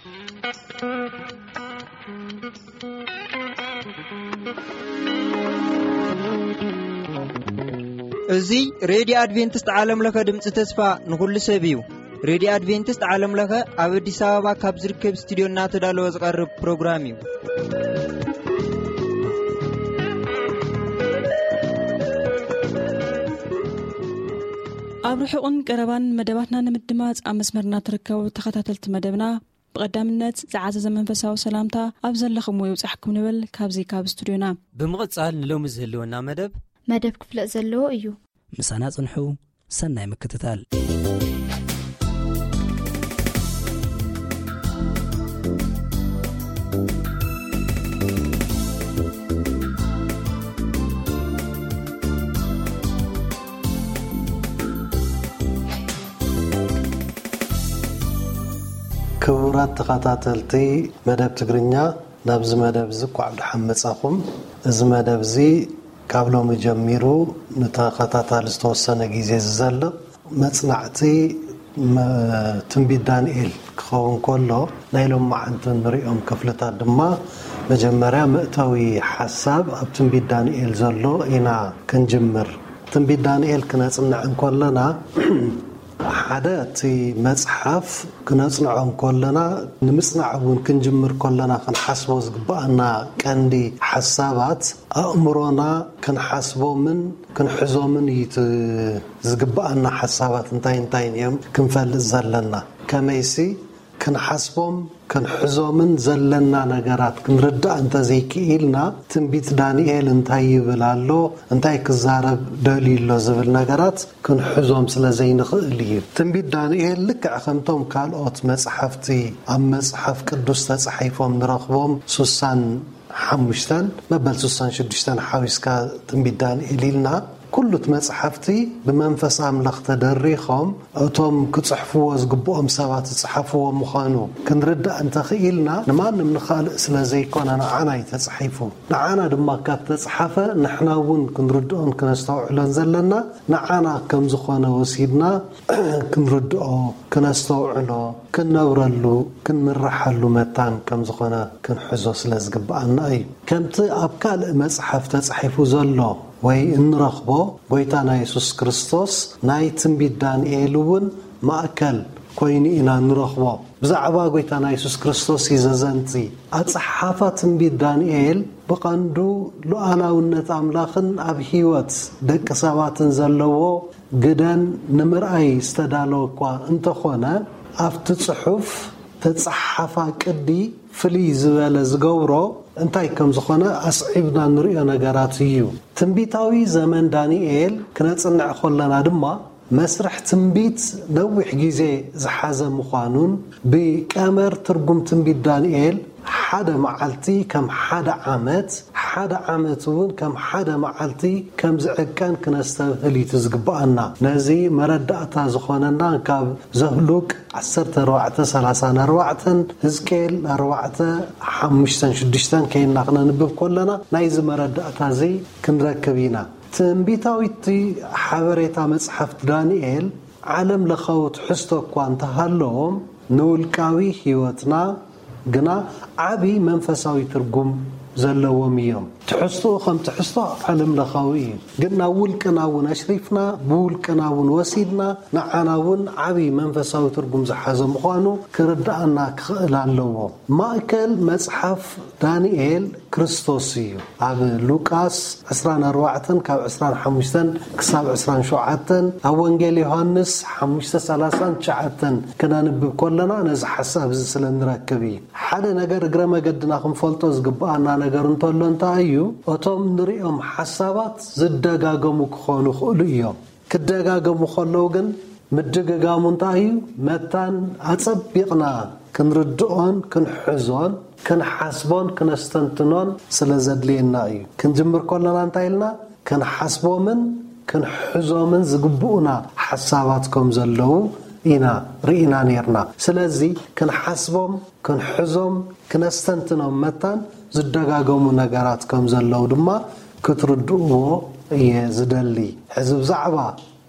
እዚ ሬድዮ ኣድቬንቲስት ዓለም ለኸ ድምፂ ተስፋ ንኹሉ ሰብ እዩ። ሬድዮ ኣድቬንቲስት ዓለም ለኸ ኣብ ኣዲስ ኣበባ ካብ ዝርከብ ስቱዲዮ እናተዳለወ ዝቐርብ ፕሮግራም እዩ። ኣብ ርሑቕን ቀረባን መደባትና ንምድማፅ ኣብ መስመርና ትርከቡ ተኸታተልቲ መደብና፣ ብቐዳምነት ዝዓዘዘ መንፈሳዊ ሰላምታ ኣብ ዘለኹምዎ ይብጻሕኩም ንብል ካብዚ ካብ ስቱድዮና። ብምቕጻል ንሎሚ ዝህልወና መደብ መደብ ክፍለጥ ዘለዎ እዩ። ምሳና ጽንሑ። ሰናይ ምክትታል። ክቡራት ተኸታተልቲ መደብ ትግርኛ፣ ናብዚ መደብ እዚ እንኳዕ ብደሓን መጻኹም። እዚ መደብ እዚ ካብ ሎሚ ጀሚሩ ንተኸታታሊ ዝተወሰነ ግዜ ዝዘልቕ መጽናዕቲ መ-፣ ትንቢት ዳንኤል ክኸውን ከሎ፣ ናይ ሎማዓንቲ ንሪኦም ክፍልታት ድማ መጀመርያ መእተዊ ሓሳብ ኣብ ትንቢት ዳንኤል ዘሎ ኢና ክንጅምር። ትንቢት ዳንኤል ክነጽንዕ እንከለና፣ ሓደ፣ እቲ መጽሓፍ ክነጽንዖ እንከለና፣ ንምጽናዕ እውን ክንጅምር ከለና ክንሓስቦ ዝግብኣና ቀንዲ ሓሳባት፣ ኣእምሮና ክንሓስቦምን ክንሕዞምን እዩ እቲ ዝግብኣና ሓሳባት እንታይ እንታይን እዮም ክንፈልጥ ዘለና። ከመይሲ፣ ክንሓስቦም ክንሕዞምን ዘለና ነገራት ክንርዳእ እንተዘይክኢልና፣ ትንቢት ዳንኤል እንታይ ይብል ኣሎ፣ እንታይ ክዛረብ ደልዩ ኣሎ ዝብል ነገራት ክንሕዞም ስለ ዘይንኽእል እዩ። ትንቢት ዳንኤል ልክዕ ከምቶም ካልኦት መጽሓፍቲ ኣብ መጽሓፍ ቅዱስ ተጻሒፎም ንረኽቦም ሱሳን ሓሙሽተን መበል ሱሳን ሽዱሽተን ሓዊስካ ትንቢት ዳንኤል ኢልና፣ ኩሉ እቲ መጽሓፍቲ ብመንፈስ ኣምላኽ ተደሪኾም፣ እቶም ክጽሕፍዎ ዝግብኦም ሰባት ዝጽሓፍዎ ምዃኑ ክንርዳእ እንተኽኢልና፣ ንማንም ንኻልእ ስለ ዘይኮነ ንዓና እዩ ተጻሒፉ። ንዓና ድማ ካብ ተጻሓፈ፣ ንሕና እውን ክንርድኦን ክነስተውዕሎን ዘለና ንዓና ከም ዝኾነ ወሲድና ክንርድኦ፣ ክነስተውዕሎ፣ ክንነብረሉ፣ ክንምርሓሉ መታን ከም ዝኾነ ክንሕዞ ስለ ዝግብኣና እዩ። ከምቲ ኣብ ካልእ መጽሓፍ ተጻሒፉ ዘሎ ወይ እንረኽቦ፣ ጎይታና የሱስ ክርስቶስ ናይ ትንቢት ዳንኤል እውን ማእከል ኮይኑ ኢና ንረኽቦ። ብዛዕባ ጎይታና የሱስ ክርስቶስ እዩ ዘዘንቲ። ኣጸሓሕፋ ትንቢት ዳንኤል ብቐንዱ ሉዓላውነት ኣምላኽን ኣብ ህይወት ደቂ ሰባትን ዘለዎ ግደን ንምርኣይ ዝተዳለወ እኳ እንተኾነ፣ ኣብቲ ጽሑፍ ተጻሓሓፋ ቅዲ ፍልይ ዝበለ ዝገብሮ እንታይ ከም ዝኾነ ኣስዒብና ንርእዮ ነገራት እዩ። ትንቢታዊ ዘመን ዳንኤል ክነጽንዕ ከለና ድማ፣ መስርሕ ትንቢት ነዊሕ ግዜ ዝሓዘ ምዃኑን፣ ብቀመር ትርጉም ትንቢት ዳንኤል ሓደ መዓልቲ ከም ሓደ ዓመት፣ ሓደ ዓመት እውን ከም ሓደ መዓልቲ ከም ዝዕቀን ክነስተብህል እዩ ዝግብኣና። ነዚ መረዳእታ ዝኾነና ካብ ዘህሉቅ ዓሰርተ ኣርባዕተ ሰላሳ ኣርባዕተን ህዝቅኤል ኣርባዕተ ሓሙሽተን ሽዱሽተን ከይና ክነንብብ ከለና ናይዚ መረዳእታ እዚ ክንረክብ ኢና። ትንቢታዊቲ ሓበሬታ መጽሓፍቲ ዳንኤል ዓለም ለኻዊ ትሕዝቶ እኳ እንተሃለዎም፣ ንውልቃዊ ህይወትና ግና ዓቢ መንፈሳዊ ትርጉም ዘለዎም እዮም። ትሕዝቶኡ ከም ትሕዝቶ ዓለም ለኻዊ እዩ፣ ግን ናብ ውልቅና እውን ኣሽሪፍና፣ ብውልቅና እውን ወሲድና፣ ንዓና እውን ዓቢ መንፈሳዊ ትርጉም ዝሓዘ ምዃኑ ክርድኣና ክኽእል ኣለዎ። ማእከል መጽሓፍ ዳንኤል ክርስቶስ እዩ። ኣብ ሉቃስ ዕስራን ኣርባዕተን ካብ ዕስራን ሓሙሽተን ክሳብ ዕስራን ሸውዓተን፣ ኣብ ወንጌል ዮሃንስ ሓሙሽተ ሰላሳን ትሽዓተን ክነንብብ ከለና ነዚ ሓሳብ እዚ ስለ ንረክብ እዩ። ሓደ ነገር እግረ መገድና ክንፈልጦ ዝግብኣና ነገር እንተሎ እንታይ እዩ? እቶም ንሪኦም ሓሳባት ዝደጋገሙ ክኾኑ ይኽእሉ እዮም። ክደጋገሙ ከለዉ ግን ምድግጋሙ እንታይ እዩ? መታን ኣጸቢቕና ክንርድኦን ክንሕዞን ክንሓስቦን ክነስተንትኖን ስለ ዘድልየና እዩ። ክንጅምር ከለና እንታይ ኢልና? ክንሓስቦምን ክንሕዞምን ዝግብኡና ሓሳባት ከም ዘለዉ ኢና ርኢና ኔርና። ስለዚ ክንሓስቦም፣ ክንሕዞም፣ ክነስተንትኖም መታን ዝደጋገሙ ነገራት ከም ዘለዉ ድማ ክትርድእዎ እየ ዝደሊ። ሕዚ ብዛዕባ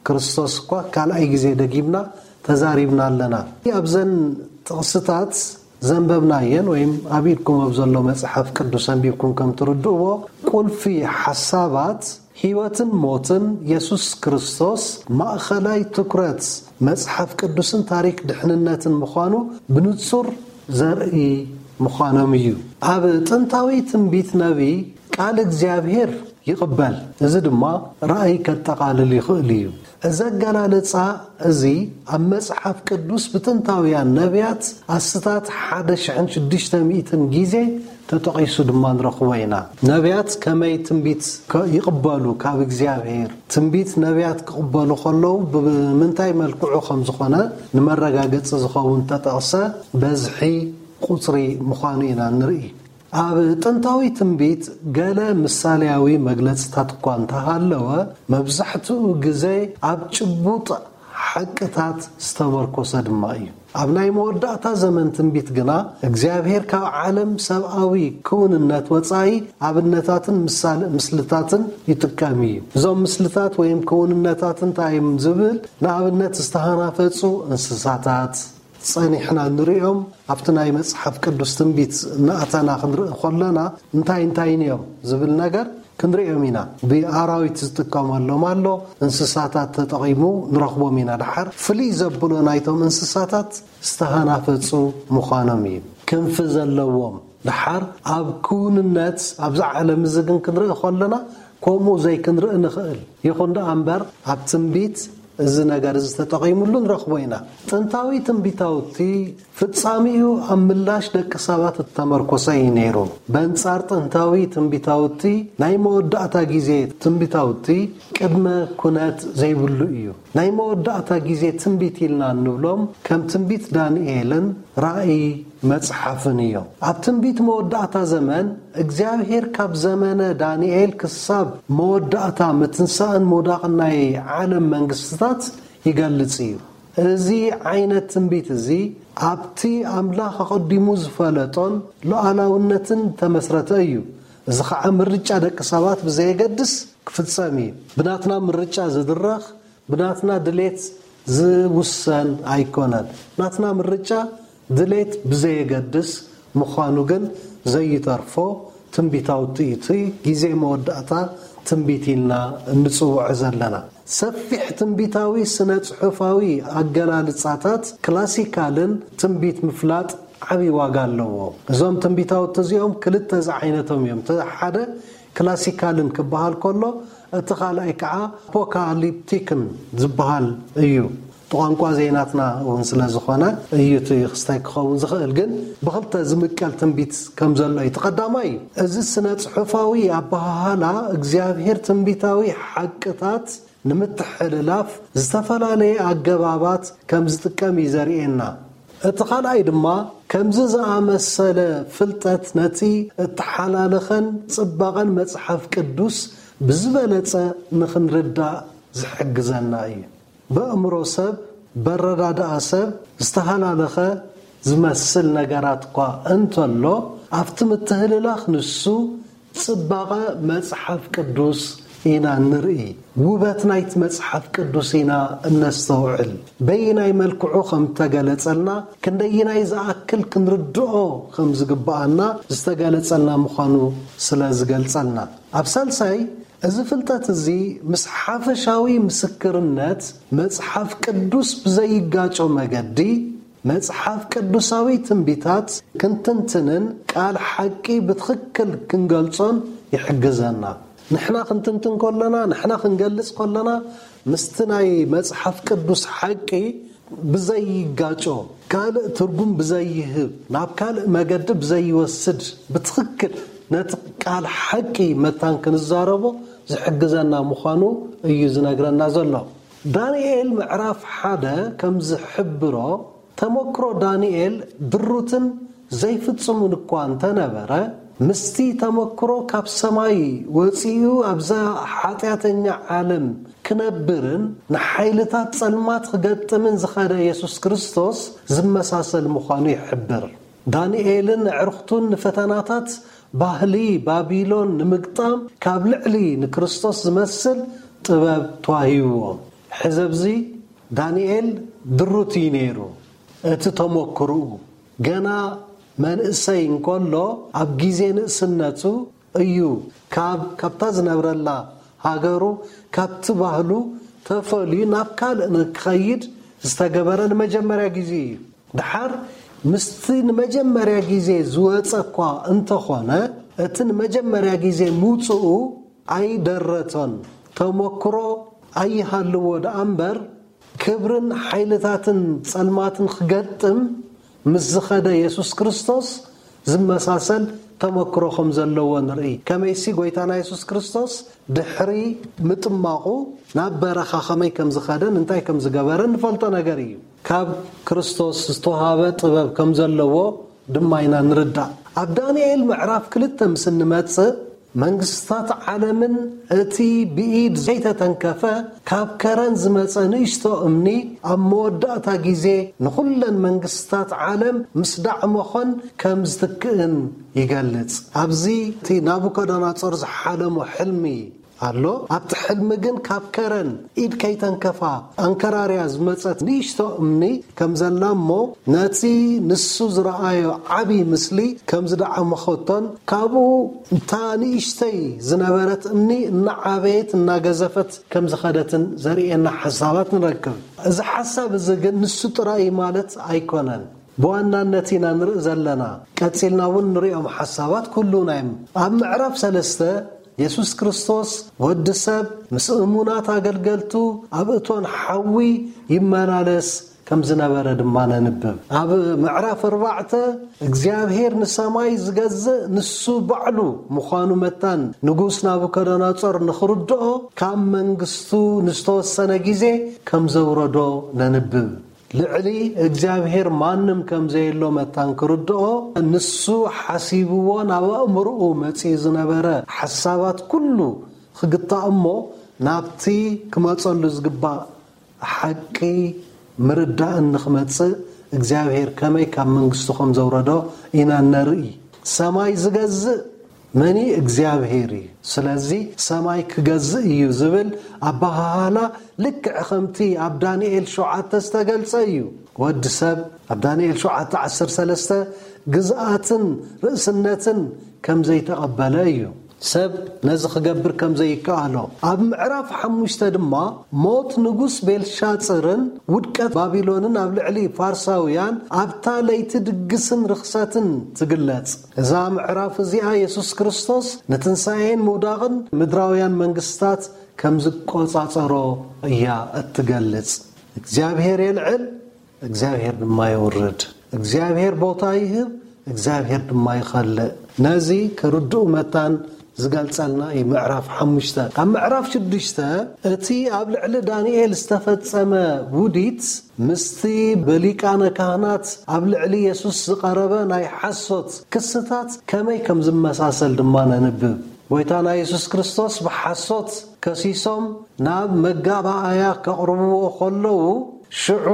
ክርስቶስ እኳ ካልኣይ ግዜ ደጊምና ተዛሪብና ኣለና። ኣብዘን ጥቕስታት ዘንበብናየን ወይም ኣብ ኢድኩም ኣብ ዘሎ መጽሓፍ ቅዱስ ኣንቢብኩም ከም ትርድእዎ፣ ቁልፊ ሓሳባት ህይወትን ሞትን የሱስ ክርስቶስ ማእኸላይ ትኩረት መጽሓፍ ቅዱስን ታሪክ ድሕንነትን ምዃኑ ብንጹር ዘርኢ ምዃኖም እዩ። ኣብ ጥንታዊ ትንቢት ነቢይ ቃል እግዚኣብሔር ይቕበል። እዚ ድማ ራእይ ከጠቓልል ይኽእል እዩ። እዚ ኣገላልጻ እዚ ኣብ መጽሓፍ ቅዱስ ብጥንታውያን ነቢያት ኣስታት ሓደ ሽሕን ሽዱሽተ ሚእትን ግዜ ተጠቒሱ ድማ ንረኽቦ ኢና። ነቢያት ከመይ ትንቢት ከ-፣ ይቕበሉ ካብ እግዚኣብሔር? ትንቢት ነቢያት ክቕበሉ ከለዉ ብምንታይ መልክዑ ከም ዝኾነ ንመረጋገጺ ዝኸውን ተጠቕሰ በዝሒ ቁጽሪ ምዃኑ ኢና ንርኢ። ኣብ ጥንታዊ ትንቢት ገለ ምሳሌያዊ መግለጽታት እኳ እንተሃለወ፣ መብዛሕትኡ ግዜ ኣብ ጭቡጥ ሓቅታት ዝተመርኮሰ ድማ እዩ። ኣብ ናይ መወዳእታ ዘመን ትንቢት ግና እግዚኣብሔር ካብ ዓለም ሰብኣዊ ክውንነት ወጻኢ ኣብነታትን ምሳሌ ምስልታትን ይጥቀም እዩ። እዞም ምስልታት ወይም ክውንነታት እንታይ እዮም ዝብል? ንኣብነት ዝተሃናፈጹ እንስሳታት፣ ጸኒሕና ንርእዮም ኣብቲ ናይ መጽሓፍ ቅዱስ ትንቢት እናኣተና ክንርኢ ከለና እንታይ እንታይን እዮም ዝብል ነገር ክንርእዮም ኢና። ብኣራዊት ዝጥቀመሎም ኣሎ፣ እንስሳታት ተጠቒሙ ንረኽቦም ኢና። ደሓር ፍልይ ዘብሎ ናይቶም እንስሳታት ዝተሃናፈጹ ምዃኖም እዩ። ክንፊ ዘለዎም ደሓር ኣብ ክውንነት ኣብዚ ዓለም እዚ ግን ክንርኢ ከለና ከምኡ ዘይክንርኢ ንኽእል። ይኹን ደኣ እምበር ኣብ ትንቢት እዚ ነገር እዚ ተጠቒሙሉ ንረኽቦ ኢና። ጥንታዊ ትንቢታውቲ ፍጻሜኡ ኣብ ምላሽ ደቂ ሰባት እተመርኮሰ እዩ ነይሩ። በንጻር ጥንታዊ ትንቢታውቲ ናይ መወዳእታ ግዜ ትንቢታውቲ ቅድመ ኩነት ዘይብሉ እዩ። ናይ መወዳእታ ግዜ ትንቢት ኢልና እንብሎም ከም ትንቢት ዳንኤልን ራእይ መጽሓፍን እዮም። ኣብ ትንቢት መወዳእታ ዘመን እግዚኣብሔር ካብ ዘመነ ዳንኤል ክሳብ መወዳእታ ምትንሳእን ምውዳቕን ናይ ዓለም መንግስትታት ይገልጽ እዩ። እዚ ዓይነት ትንቢት እዚ ኣብቲ ኣምላኽ ኣቐዲሙ ዝፈለጦን ሉዓላውነትን ተመስረተ እዩ። እዚ ኸዓ ምርጫ ደቂ ሰባት ብዘየገድስ ክፍጸም እዩ። ብናትና ምርጫ ዝድረኽ፣ ብናትና ድሌት ዝውሰን ኣይኮነን። ናትና ምርጫ ድሌት ብዘየገድስ ምዃኑ ግን ዘይተርፎ ትንቢታዊ ትእቲ ግዜ መወዳእታ ትንቢት ኢልና እንጽውዖ ዘለና። ሰፊሕ ትንቢታዊ ስነ ጽሑፋዊ ኣገላልጻታት ክላሲካልን ትንቢት ምፍላጥ ዓቢ ዋጋ ኣለዎ። እዞም ትንቢታውቲ እዚኦም ክልተ ዝዓይነቶም እዮም። እቲ ሓደ ክላሲካልን ክበሃል ከሎ፣ እቲ ካልኣይ ከዓ ኣፖካሊፕቲክን ዝበሃል እዩ። እቲ ቋንቋ ዘይናትና እውን ስለ ዝኾነ እዩ እቲ ክስታይ ክኸውን ዝኽእል። ግን ብኽልተ ዝምቀል ትንቢት ከም ዘሎ እዩ። እቲ ቀዳማይ፣ እዚ ስነ ጽሑፋዊ ኣበሃህላ እግዚኣብሔር ትንቢታዊ ሓቅታት ንምትሕልላፍ ዝተፈላለየ ኣገባባት ከም ዝጥቀም እዩ ዘርእየና። እቲ ካልኣይ ድማ ከምዚ ዝኣመሰለ ፍልጠት ነቲ እተሓላለኸን ጽባቐን መጽሓፍ ቅዱስ ብዝበለጸ ንኽንርዳእ ዝሕግዘና እዩ። በእምሮ ሰብ፣ በረዳድኣ ሰብ ዝተሃላለኸ ዝመስል ነገራት እኳ እንተሎ፣ ኣብቲ ምትህልላኽ ንሱ ጽባቐ መጽሓፍ ቅዱስ ኢና ንርኢ። ውበት ናይቲ መጽሓፍ ቅዱስ ኢና እነስተውዕል። በየናይ መልክዑ ከም እተገለጸልና፣ ክንደየናይ ዝኣክል ክንርድኦ ከም ዝግብኣና ዝተገለጸልና ምዃኑ ስለ ዝገልጸልና። ኣብ ሳልሳይ፣ እዚ ፍልጠት እዚ ምስ ሓፈሻዊ ምስክርነት መጽሓፍ ቅዱስ ብዘይጋጮ መገዲ፣ መጽሓፍ ቅዱሳዊ ትንቢታት ክንትንትንን ቃል ሓቂ ብትኽክል ክንገልጾን ይሕግዘና። ንሕና ክንትንትን ከለና፣ ንሕና ክንገልጽ ከለና፣ ምስቲ ናይ መጽሓፍ ቅዱስ ሓቂ ብዘይጋጮ፣ ካልእ ትርጉም ብዘይህብ፣ ናብ ካልእ መገዲ ብዘይወስድ፣ ብትኽክል ነቲ ቃል ሓቂ መታን ክንዛረቦ ዝሕግዘና ምዃኑ እዩ ዝነግረና ዘሎ። ዳንኤል ምዕራፍ ሓደ ከም ዝሕብሮ፣ ተመክሮ ዳንኤል ድሩትን ዘይፍጹምን እኳ እንተነበረ፣ ምስቲ ተመክሮ ካብ ሰማይ ወጺኡ ኣብዛ ሓጢኣተኛ ዓለም ክነብርን ንሓይልታት ጸልማት ክገጥምን ዝኸደ የሱስ ክርስቶስ ዝመሳሰል ምዃኑ ይሕብር። ዳንኤልን ኣዕሩኽቱን ንፈተናታት ባህሊ ባቢሎን ንምግጣም ካብ ልዕሊ ንክርስቶስ ዝመስል ጥበብ ተዋሂብዎም። ሕዚ ኣብዚ ዳንኤል ድሩት እዩ ነይሩ። እቲ ተመክሮኡ ገና መንእሰይ እንከሎ ኣብ ግዜ ንእስነቱ እዩ ካብ ካብታ ዝነብረላ ሃገሩ ካብቲ ባህሉ ተፈልዩ ናብ ካልእ ንክኸይድ ዝተገበረ ንመጀመርያ ግዜ እዩ። ድሓር ምስቲ ንመጀመርያ ግዜ ዝወጸ እኳ እንተኾነ እቲ ንመጀመርያ ግዜ ምውጽኡ ኣይደረቶን። ተመክሮ ኣይሃልዎ ደኣ እምበር ክብርን ሓይልታትን ጸልማትን ክገጥም ምስ ዝኸደ የሱስ ክርስቶስ ዝመሳሰል ተመክሮ ከም ዘለዎ ንርኢ። ከመይሲ ጎይታና የሱስ ክርስቶስ ድሕሪ ምጥማቑ ናብ በረኻ ከመይ ከም ዝኸደን እንታይ ከም ዝገበረን ንፈልጦ ነገር እዩ። ካብ ክርስቶስ ዝተዋሃበ ጥበብ ከም ዘለዎ ድማ ኢና ንርዳእ። ኣብ ዳንኤል ምዕራፍ ክልተ ምስ እንመጽእ መንግስታት ዓለምን እቲ ብኢድ ዘይተተንከፈ ካብ ከረን ዝመጸ ንእሽቶ እምኒ ኣብ መወዳእታ ግዜ ንኹለን መንግስታት ዓለም ምስ ዳዕመኾን ከም ዝትክእን ይገልጽ። ኣብዚ እቲ ናቡከደነጾር ዝሓለሞ ሕልሚ ኣሎ። ኣብቲ ሕልሚ ግን ካብ ከረን ኢድ ከይተንከፋ ኣንከራርያ ዝመጸት ንእሽቶ እምኒ ከም ዘላ እሞ ነቲ ንሱ ዝረኣዮ ዓቢ ምስሊ ከም ዝደዓመኸቶን ካብኡ እታ ንእሽተይ ዝነበረት እምኒ እናዓበየት እናገዘፈት ከም ዝኸደትን ዘርእየና ሓሳባት ንረክብ። እዚ ሓሳብ እዚ ግን ንሱ ጥራይ ማለት ኣይኮነን። ብዋናነት ኢና ንርኢ ዘለና። ቀጺልና እውን ንሪኦም ሓሳባት ኩሉና እዮም። ኣብ ምዕራፍ ሰለስተ የሱስ ክርስቶስ ወዲ ሰብ ምስ እሙናት ኣገልገልቱ ኣብ እቶን ሓዊ ይመላለስ ከም ዝነበረ ድማ ነንብብ። ኣብ ምዕራፍ ኣርባዕተ እግዚኣብሔር ንሰማይ ዝገዝእ ንሱ ባዕሉ ምዃኑ መታን ንጉስ ናቡከደነጾር ንኽርድኦ ካብ መንግስቱ ንዝተወሰነ ግዜ ከም ዘውረዶ ነንብብ። ልዕሊ እግዚኣብሔር ማንም ከም ዘየሎ መታን ክርድኦ ንሱ ሓሲብዎ ናብ ኣእምርኡ መጺኡ ዝነበረ ሓሳባት ኩሉ ክግታእ እሞ ናብቲ ክመጸሉ ዝግባእ ሓቂ ምርዳእን ንኽመጽእ እግዚኣብሔር ከመይ ካብ መንግስቱ ከም ዘውረዶ ኢና ነርኢ። ሰማይ ዝገዝእ መኒ እግዚኣብሔር እዩ። ስለዚ ሰማይ ክገዝእ እዩ ዝብል ኣበሃህላ ልክዕ ከምቲ ኣብ ዳንኤል ሸውዓተ ዝተገልጸ እዩ። ወዲ ሰብ ኣብ ዳንኤል ሸውዓተ ዓሰርተ ሰለስተ ግዝኣትን ርእስነትን ከም ዘይተቐበለ እዩ። ሰብ ነዚ ክገብር ከም ዘይከኣሎ ኣብ ምዕራፍ ሓሙሽተ ድማ ሞት ንጉስ ቤልሻጽርን ውድቀት ባቢሎንን ኣብ ልዕሊ ፋርሳውያን ኣብታ ለይቲ ድግስን ርኽሰትን ትግለጽ። እዛ ምዕራፍ እዚኣ የሱስ ክርስቶስ ንትንሳኤን ምውዳቕን ምድራውያን መንግስታት ከም ዝቆጻጸሮ እያ እትገልጽ። እግዚኣብሔር የልዕል፣ እግዚኣብሔር ድማ የውርድ። እግዚኣብሔር ቦታ ይህብ፣ እግዚኣብሔር ድማ ይኸልእ። ነዚ ክርድኡ መታን ዝገልጸልና እዩ ምዕራፍ ሓሙሽተ። ኣብ ምዕራፍ ሽዱሽተ እቲ ኣብ ልዕሊ ዳንኤል ዝተፈጸመ ውዲት ምስቲ ብሊቃነ ካህናት ኣብ ልዕሊ የሱስ ዝቐረበ ናይ ሓሶት ክስታት ከመይ ከም ዝመሳሰል ድማ ነንብብ። ጎይታና የሱስ ክርስቶስ ብሓሶት ከሲሶም ናብ መጋባኣያ ከቕርብዎ ከለዉ ሽዑ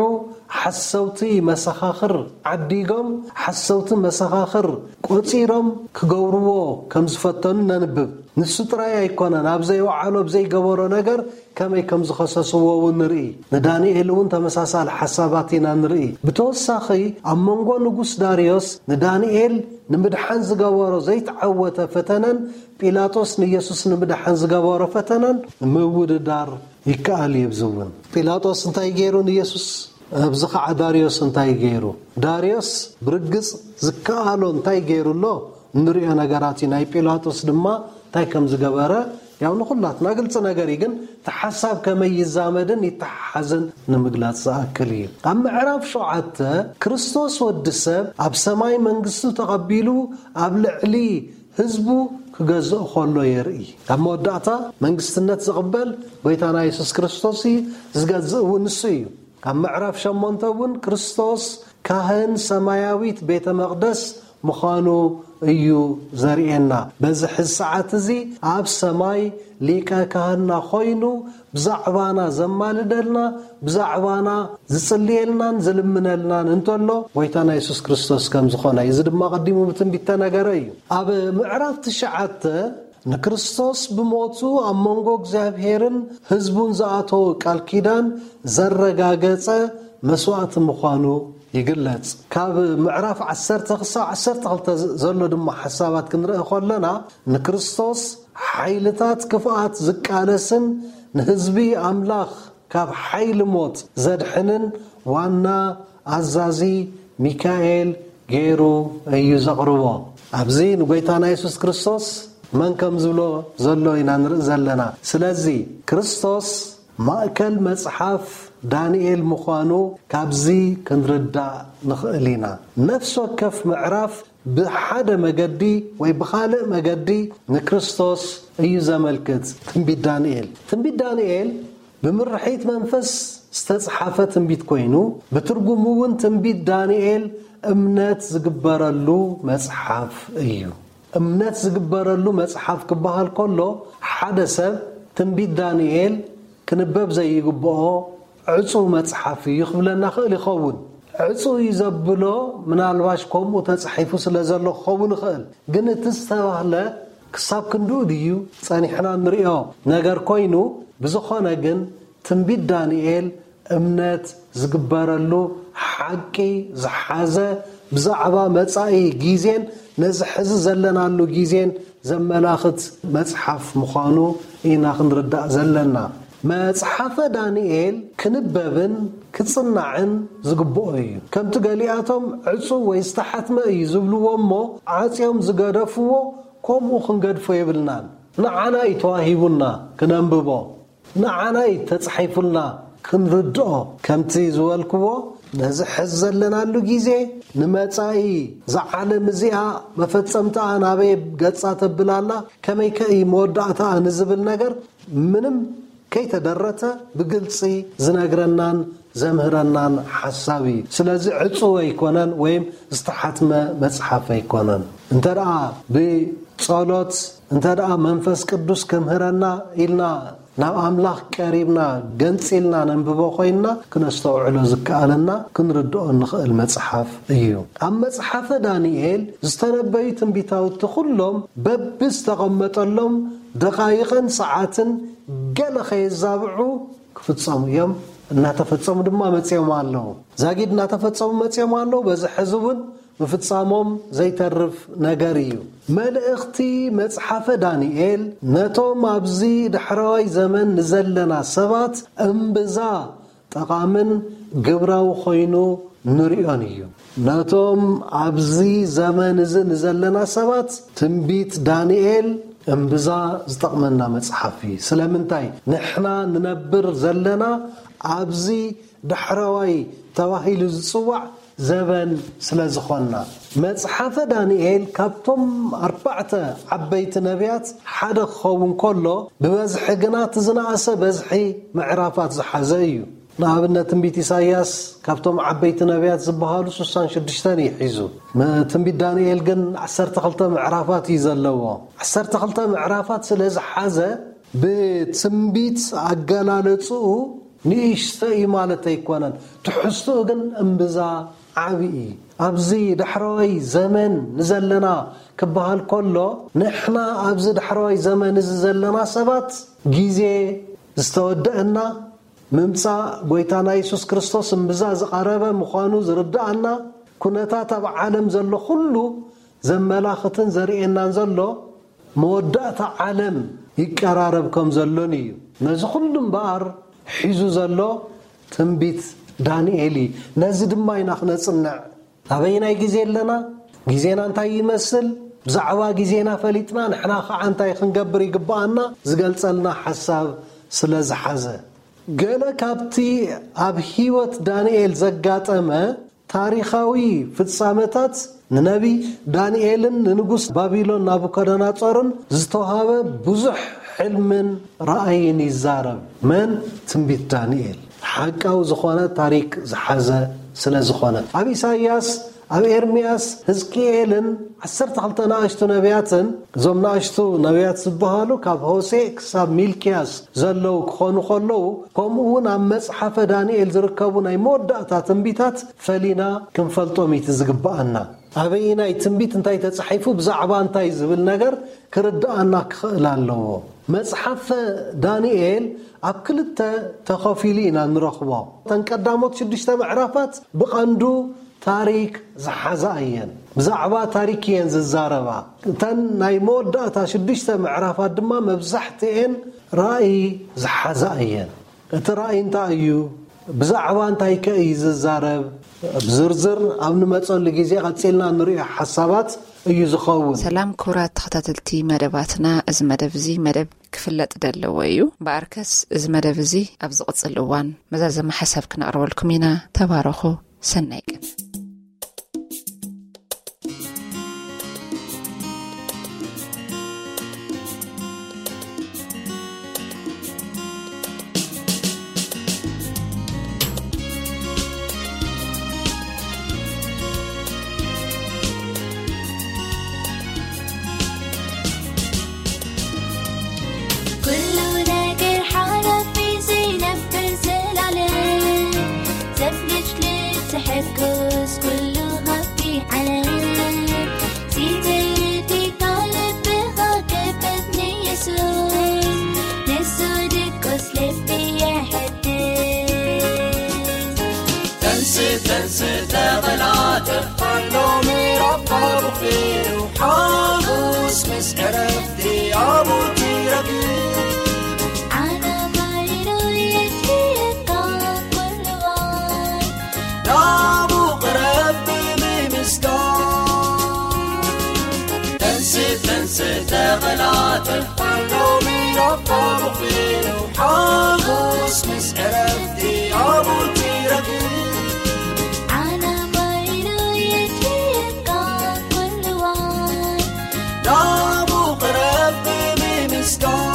ሓሰውቲ መሰኻኽር ዓዲጎም ሓሰውቲ መሰኻኽር ቆጺሮም ክገብርዎ ከም ዝፈተኑ ነንብብ። ንሱ ጥራይ ኣይኮነን፣ ኣብ ዘይወዓሎ ኣብ ዘይገበሮ ነገር ከመይ ከም ዝኸሰስዎ እውን ንርኢ። ንዳንኤል እውን ተመሳሳሊ ሓሳባት ኢና ንርኢ። ብተወሳኺ ኣብ መንጎ ንጉስ ዳርዮስ ንዳንኤል ንምድሓን ዝገበሮ ዘይተዓወተ ፈተነን ጲላጦስ ንየሱስ ንምድሓን ዝገበሮ ፈተነን ምውድዳር ይከኣል እዩ። ኣብዚ እውን ጲላጦስ እንታይ ገይሩ ንየሱስ? ኣብዚ ከዓ ዳርዮስ እንታይ ገይሩ? ዳርዮስ ብርግጽ ዝከኣሎ እንታይ ገይሩ ኣሎ? እንሪኦ ነገራት እዩ። ናይ ጲላጦስ ድማ እንታይ ከም ዝገበረ ያው ንኹላትና ግልፂ ነገር እዩ። ግን እቲ ሓሳብ ከመይ ይዛመድን ይተሓሓዝን ንምግላፅ ዝኣክል እዩ። ኣብ ምዕራፍ ሸውዓተ ክርስቶስ ወዲ ሰብ ኣብ ሰማይ መንግስቱ ተቐቢሉ ኣብ ልዕሊ ህዝቡ ክገዝእ ከሎ የርኢ። ኣብ መወዳእታ መንግስትነት ዝቕበል ጎይታና የሱስ ክርስቶስ እዩ። ዝገዝእ እውን ንሱ እዩ። ኣብ ምዕራፍ ሸሞንተ እውን ክርስቶስ ካህን ሰማያዊት ቤተ መቕደስ ምዃኑ እዩ ዘርእየና። በዚ ሕዚ ሰዓት እዚ ኣብ ሰማይ ሊቀ ካህንና ኮይኑ ብዛዕባና ዘማልደልና፣ ብዛዕባና ዝጽልየልናን ዝልምነልናን እንተሎ ጎይታና የሱስ ክርስቶስ ከም ዝኾነ እዩ። እዚ ድማ ቀዲሙ ብትንቢት ተነገረ እዩ። ኣብ ምዕራፍ ትሽዓተ ንክርስቶስ ብሞቱ ኣብ መንጎ እግዚኣብሔርን ህዝቡን ዝኣተወ ቃል ኪዳን ዘረጋገጸ መስዋእቲ ምዃኑ ይግለጽ። ካብ ምዕራፍ ዓሰርተ ክሳብ ዓሰርተ ክልተ ዘሎ ድማ ሓሳባት ክንርኢ ከለና፣ ንክርስቶስ ሓይልታት ክፍኣት ዝቃለስን ንህዝቢ ኣምላኽ ካብ ሓይሊ ሞት ዘድሕንን ዋና ኣዛዚ ሚካኤል ገይሩ እዩ ዘቕርቦ። ኣብዚ ንጎይታና የሱስ ክርስቶስ መን ከም ዝብሎ ዘሎ ኢና ንርኢ ዘለና። ስለዚ ክርስቶስ ማእከል መጽሓፍ ዳንኤል ምዃኑ ካብዚ ክንርዳእ ንኽእል ኢና። ነፍሲ ወከፍ ምዕራፍ ብሓደ መገዲ ወይ ብኻልእ መገዲ ንክርስቶስ እዩ ዘመልክት። ትንቢት ዳንኤል ትንቢት ዳንኤል ብምርሒት መንፈስ ዝተጽሓፈ ትንቢት ኮይኑ፣ ብትርጉሙ እውን ትንቢት ዳንኤል እምነት ዝግበረሉ መጽሓፍ እዩ። እምነት ዝግበረሉ መጽሓፍ ክበሃል ከሎ፣ ሓደ ሰብ ትንቢት ዳንኤል ክንበብ ዘይግብኦ ዕጹው መጽሓፍ እዩ ክብለና ክእል ይኸውን። ዕጹው እዩ ዘብሎ ምናልባሽ ከምኡ ተጻሒፉ ስለ ዘሎ ክኸውን ይኽእል። ግን እቲ ዝተባህለ ክሳብ ክንድኡ ድዩ ጸኒሕና ንሪኦ ነገር ኮይኑ፣ ብዝኾነ ግን ትንቢት ዳንኤል እምነት ዝግበረሉ ሓቂ ዝሓዘ፣ ብዛዕባ መጻኢ ግዜን ነዚ ሕዚ ዘለናሉ ግዜን ዘመላኽት መጽሓፍ ምዃኑ ኢና ክንርዳእ ዘለና። መጽሓፈ ዳንኤል ክንበብን ክጽናዕን ዝግብኦ እዩ። ከምቲ ገሊኣቶም ዕጹው ወይ ዝተሓትመ እዩ ዝብልዎ እሞ፣ ዓጽዮም ዝገደፍዎ ከምኡ ክንገድፎ የብልናን። ንዓና እዩ ተዋሂቡና ክነንብቦ። ንዓና እዩ ተጻሒፉልና ክንርድኦ። ከምቲ ዝበልክዎ፣ ነዚ ሕዚ ዘለናሉ ግዜ፣ ንመጻኢ፣ እዛ ዓለም እዚኣ መፈጸምታኣ ናበይ ገጻ ተብል ኣላ፣ ከመይከ እዩ መወዳእታኣ ንዝብል ነገር ምንም ከይተደረተ ብግልጺ ዝነግረናን ዘምህረናን ሓሳብ እዩ። ስለዚ ዕጹው ኣይኮነን ወይም ዝተሓትመ መጽሓፍ ኣይኮነን። እንተ ደኣ ብጸሎት፣ እንተ ደኣ መንፈስ ቅዱስ ክምህረና ኢልና ናብ ኣምላኽ ቀሪብና ገንጺልና ነንብቦ ኮይንና፣ ክነስተውዕሎ ዝከኣለና፣ ክንርድኦ እንኽእል መጽሓፍ እዩ። ኣብ መጽሓፈ ዳንኤል ዝተነበዩ ትንቢታውቲ ኩሎም በብዝተቐመጠሎም ደቓይቕን ሰዓትን ገለ ከየዛብዑ ክፍጸሙ እዮም። እናተፈጸሙ ድማ መጺኦም ኣለዉ። ዛጊድ እናተፈጸሙ መጺኦም ኣለዉ። በዚ ሕዚ እውን ምፍጻሞም ዘይተርፍ ነገር እዩ። መልእኽቲ መጽሓፈ ዳንኤል ነቶም ኣብዚ ዳሕረዋይ ዘመን ንዘለና ሰባት እምብዛ ጠቓምን ግብራዊ ኮይኑ ንርእዮን እዩ። ነቶም ኣብዚ ዘመን እዚ ንዘለና ሰባት ትንቢት ዳንኤል እምብዛ ዝጠቕመና መጽሓፍ እዩ። ስለምንታይ? ንሕና ንነብር ዘለና ኣብዚ ዳሕረዋይ ተባሂሉ ዝጽዋዕ ዘበን ስለ ዝኾንና። መጽሓፈ ዳንኤል ካብቶም ኣርባዕተ ዓበይቲ ነቢያት ሓደ ክኸውን ከሎ፣ ብበዝሒ ግና እቲ ዝነኣሰ በዝሒ ምዕራፋት ዝሓዘ እዩ። ንኣብነት፣ ትንቢት ኢሳይያስ ካብቶም ዓበይቲ ነቢያት ዝበሃሉ ስሳን ሽዱሽተን እዩ ሒዙ። ም-፣ ትንቢት ዳንኤል ግን ዓሰርተ ክልተ ምዕራፋት እዩ ዘለዎ። ዓሰርተ ክልተ ምዕራፋት ስለ ዝሓዘ፣ ብትንቢት ኣገላለጽኡ ንእሽቶ እዩ ማለት ኣይኮነን። ትሕዝትኡ ግን እምብዛ ዓቢ እዩ። ኣብዚ ዳሕረዋይ ዘመን ንዘለና ክበሃል ከሎ፣ ንሕና ኣብዚ ዳሕረዋይ ዘመን እዚ ዘለና ሰባት፣ ግዜ ዝተወደአና፣ ምምጻእ ጎይታና የሱስ ክርስቶስ እምብዛ ዝቐረበ ምዃኑ ዝርድኣና፣ ኩነታት ኣብ ዓለም ዘሎ ኩሉ ዘመላኽትን ዘርእየናን ዘሎ፣ መወዳእታ ዓለም ይቀራረብ ከም ዘሎን እዩ። ነዚ ኩሉ እምበኣር ሒዙ ዘሎ ትንቢት ዳንኤል እዩ። ነዚ ድማ ኢና ክነጽንዕ። ኣበየናይ ግዜ ኣለና? ግዜና እንታይ ይመስል? ብዛዕባ ግዜና ፈሊጥና ንሕና ኸዓ እንታይ ክንገብር ይግብኣና? ዝገልጸልና ሓሳብ ስለ ዝሓዘ። ገለ ካብቲ ኣብ ህይወት ዳንኤል ዘጋጠመ ታሪኻዊ ፍጻመታት ንነቢ ዳንኤልን ንንጉስ ባቢሎን ናቡከደነጾርን ዝተዋህበ ብዙሕ ሕልምን ራእይን ይዛረብ። መን? ትንቢት ዳንኤል። ሓቃዊ ዝኾነ ታሪክ ዝሓዘ ስለ ዝኾነ። ኣብ ኢሳይያስ፣ ኣብ ኤርምያስ፣ ህዝቅኤልን ዓሰርተ ክልተ ንኣሽቱ ነቢያትን፣ እዞም ንኣሽቱ ነቢያት ዝበሃሉ ካብ ሆሴዕ ክሳብ ሚልክያስ ዘለዉ ክኾኑ ከለዉ፣ ከምኡ እውን ኣብ መጽሓፈ ዳንኤል ዝርከቡ ናይ መወዳእታ ትንቢታት ፈሊና ክንፈልጦም እዩ ዝግብኣና። ኣበየናይ ትንቢት እንታይ ተጻሒፉ፣ ብዛዕባ እንታይ ዝብል ነገር ክርድኣና ክኽእል ኣለዎ። መጽሓፈ ዳንኤል ኣብ ክልተ ተኸፊሉ ኢና ንረኽቦ። እተን ቀዳሞት ሽዱሽተ ምዕራፋት ብቐንዱ ታሪክ ዝሓዛ እየን። ብዛዕባ ታሪክ እየን ዝዛረባ። እተን ናይ መወዳእታ ሽዱሽተ ምዕራፋት ድማ መብዛሕትኤን ራእይ ዝሓዛ እየን። እቲ ራእይ እንታይ እዩ? ብዛዕባ እንታይ ከ እዩ ዝዛረብ? ብዝርዝር ኣብ ንመጸሉ ግዜ ቀጺልና ንሪኦ ሓሳባት እዩ ዝኸውን። ሰላም ክቡራት ተኸታተልቲ መደባትና፣ እዚ መደብ እዚ መደብ ክፍለጥ ደለዎ እዩ። እምበኣርከስ እዚ መደብ እዚ ኣብ ዝቕጽል እዋን መዛዘሚ ሓሳብ ክነቕርበልኩም ኢና። ተባረኹ። ሰናይ ቀን። ኩሉ ነገር ሓላፊ ዘይነብር ዘላለም፣ ሰብ ልጅ ልትሕግዝ ኩሉ ሃብቲ ዓለም። ሲትርቲካ ልብኻ ክፈት ንየሱስ፣ ንሱ ድቁስ ልቢ የሐድስ። ተንስእ፣ ተንስእ፣ ተቐላጠፍ፣ ኣሎ ምዕራፍ ብኺሩ፣ ሓጎስ ምስ ዕረፍቲ ኣብኡ ትረክብ። ዓለም ሃይሉ የድልየካ ኩሉ እዋን፣ ናብኡ ቅረብ ብምምስጋን። ተንስእ፣ ተንስእ፣ ተቐላጠፍ፣ ኣሎ ምዕራፍ ብኺሩ፣ ሓጎስ ምስ ዕረፍቲ ኣብኡ ትረክብ። ዓለም ሃይሉ የድልየካ ኩሉ እዋን፣ ናብኡ ቅረብ ብምምስጋን።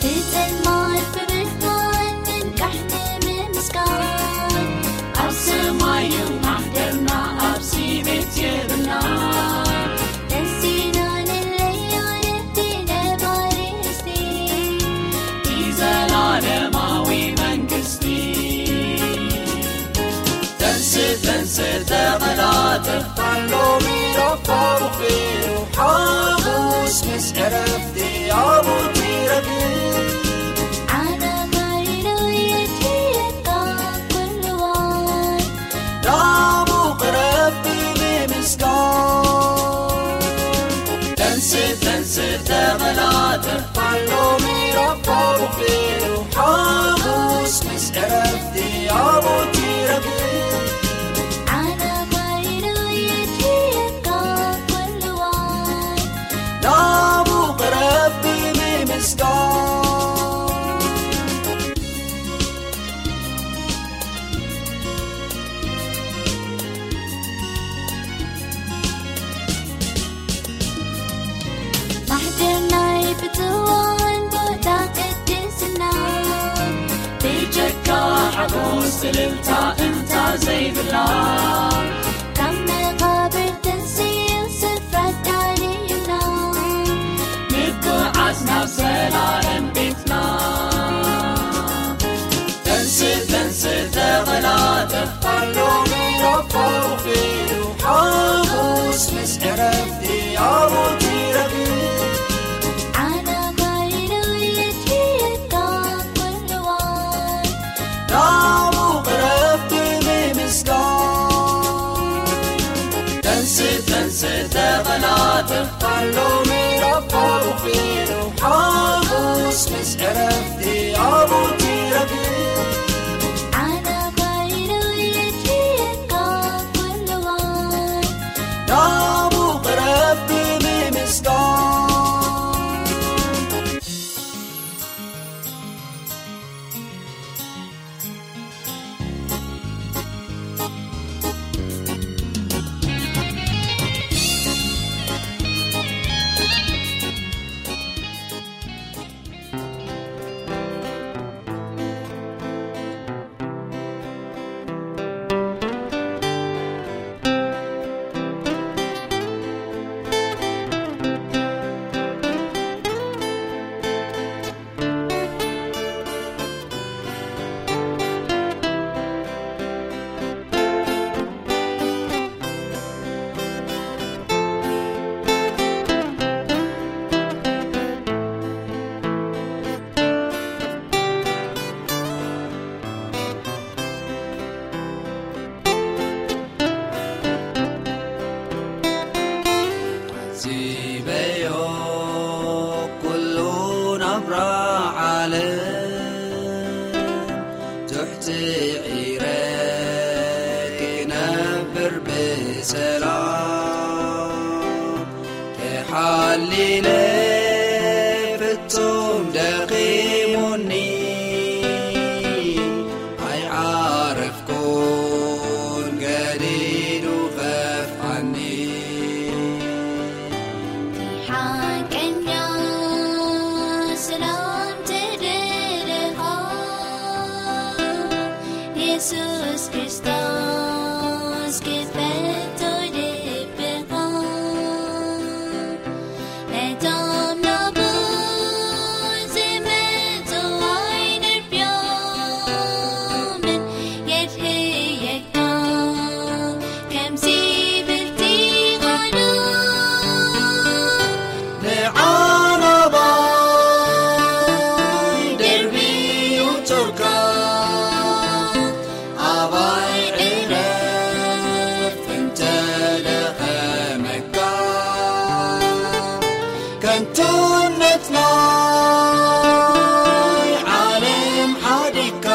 ብጸልማት ብብርሃን ምንቃሕ ንምምስጋን፣ ኣብ ሰማይ እዩ ማሕደርና፣ ኣብዚ ቤት የብልና። ነሲና ንለያ ነቲ ነባሪ ርስቲ፣ እቲ ዘላለማዊ መንግስቲ። ተንስእ፣ ተንስእ፣ ተቐላጠፍ፣ ኣሎ ምዕራፍ ብኺሩ፣ ሓጎስ ምስ ዕረፍቲ ኣብኡ ትረክብ። ዓለም ሃይሉ የድልየካ ኩሉ እዋን፣ ናብኡ ቅረብ ብምምስጋን። ተንስእ፣ ተንስእ፣ ተቐላጠፍ፣ ኣሎ ምዕራፍ ብኺሩ፣ ሓጎስ ምስ ዕረፍቲ ኣብኡ ትረክብ። ዓለም ሃይሉ የድልየካ ኩሉ እዋን፣ ናብኡ ቅረብ ብምምስጋን። ማሕደር ናይ ብፅዋን ቦታ ቅድስና፣ ብጀካ ሓጎስ እልልታ እንታ ዘይብላ፣ ካብ መቓብር ተንሲኡ ስፍራ ዳልዩና፣ ንጉዓዝ ናብ ዘላለም ቤትና። ተንስእ፣ ተንስእ፣ ተቐላጠፍ፣ ኣሎ ምዕራፍ ብኺሩ፣ ሓጎስ ምስ ዕረፍቲ ኣብኡ ትረክብ። ዓለም ሃይሉ የድልየካ ኩሉ እዋን፣ ናብኡ ቅረብ ብምምስጋን። ተንስእ፣ ተንስእ፣ ተቐላጠፍ፣ ኣሎ ምዕራፍ ብኺሩ፣ ሓጎስ ምስ ዕረፍቲ ኣብኡ ትረክብ። ዓለም ሃይሉ የድልየካ ኩሉ እዋን፣ ናብኡ ቅረብ ብምምስጋን። ዓለም ትሕቲ ዒረ ክነብር ብሰላም ተሓሊለ ፍጹም ደኺሙኒ ኣይዓረፍኩን ገዲዱ ኸፍዓኒ። ሓቀኛ ሰላም ትደልኻ የሱስ ክርስቶስ ክፈቶ ልብኻ ነቶም ናብኡ ዝመጹ ኣይንርብዮምን የድህየካ ከምዚ ብልቲ ቃሉ ንዓና ባይ ደርብዩ ቶርካ ኣባይ ዕረፍ እንተደኸመካ ከንቱነት ናይ ዓለም ሓዲግካ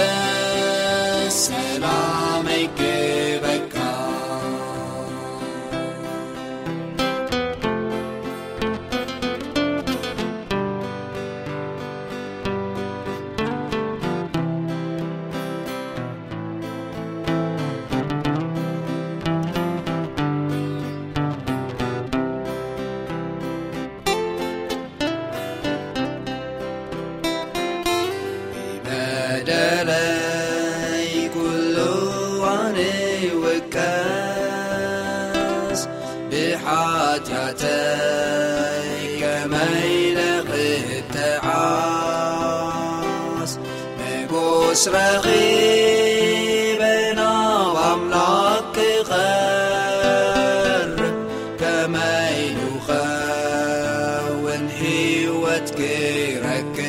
ናተመለስ ሰላመይ ክበካ። ብበደለይ ኩሉ ኣነ ይውቀስ፣ ብሓጢኣተይ ከመይ ንኽተዓስ። ንጉስ ረኺበ ናብ ኣምላኽ ክቐርብ፣ ከመይ ንኸውን ህይወት ክረክብ።